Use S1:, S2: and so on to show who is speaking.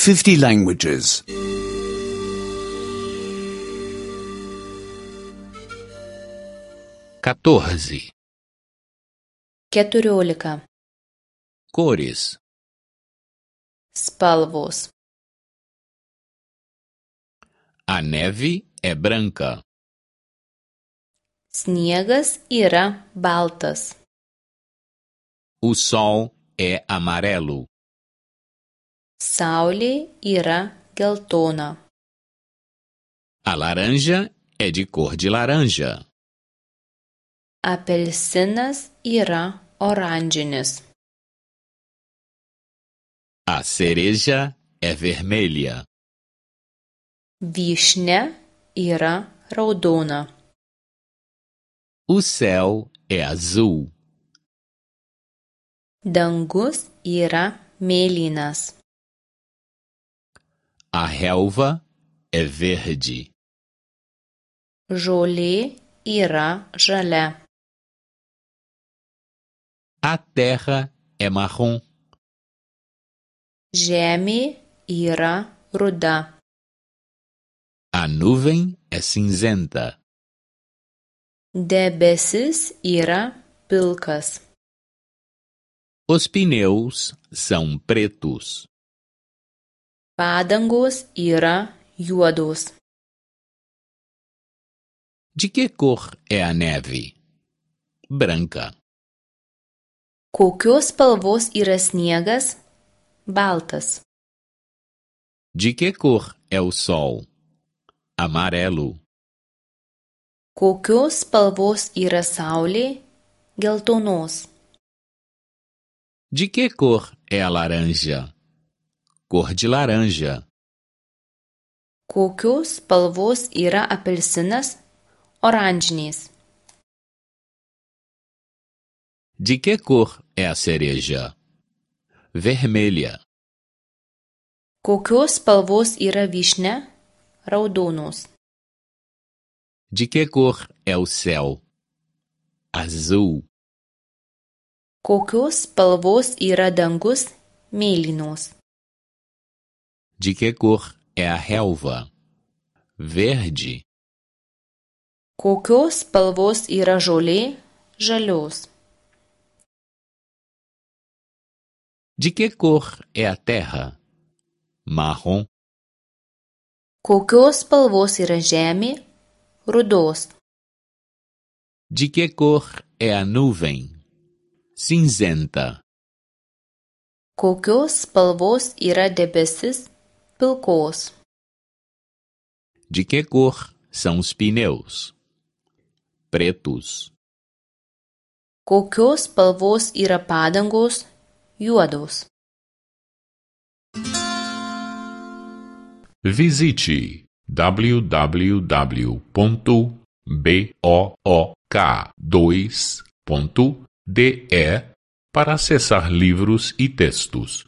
S1: 50 languages.
S2: 14.
S3: 14.
S2: Cores.
S3: Spalvos.
S2: A neve é branca.
S3: Sniegas yra baltas.
S2: O sol é amarelo.
S3: Saulė yra geltona.
S2: A laranja é de cor de laranja.
S3: Apelsinas yra oranžinis.
S2: A cereja é vermelha.
S3: Vyšnia yra raudona.
S2: O céu é azul.
S3: Dangus yra mėlynas.
S2: A relva é verde.
S3: Žolė yra žalia.
S2: A terra é marrom.
S3: Žemė yra ruda.
S2: A nuvem é cinzenta.
S3: Debesis yra pilkas.
S2: Os pneus são pretos.
S3: Padangos yra juodos.
S2: De que cor é a neve? Branca.
S3: Kokios spalvos yra sniegas? Baltas.
S2: De que cor é o sol? Amarelo.
S3: Kokios spalvos yra saulė? Geltonos.
S2: De que cor é a laranja? Cor de laranja.
S3: Kokios spalvos yra apelsinas? Oranžinis.
S2: De que cor é a cereja? Vermelha.
S3: Kokios spalvos yra vyšnia? Raudonos.
S2: De que cor é o céu? Azul.
S3: Kokios spalvos yra dangus? Mėlynos.
S2: De que cor é a relva? Verde.
S3: Kokios spalvos yra žolė? Žalios.
S2: De que cor é a terra? Marrom.
S3: Kokios spalvos yra žemė? Rudos.
S2: De que cor é a nuvem? Cinzenta.
S3: Kokios spalvos yra debesis? Pilkos.
S2: De que cor são os pneus? Pretos.
S3: Kokios spalvos yra padangos? Juodos.
S4: Visite www.book2.de para acessar livros e textos.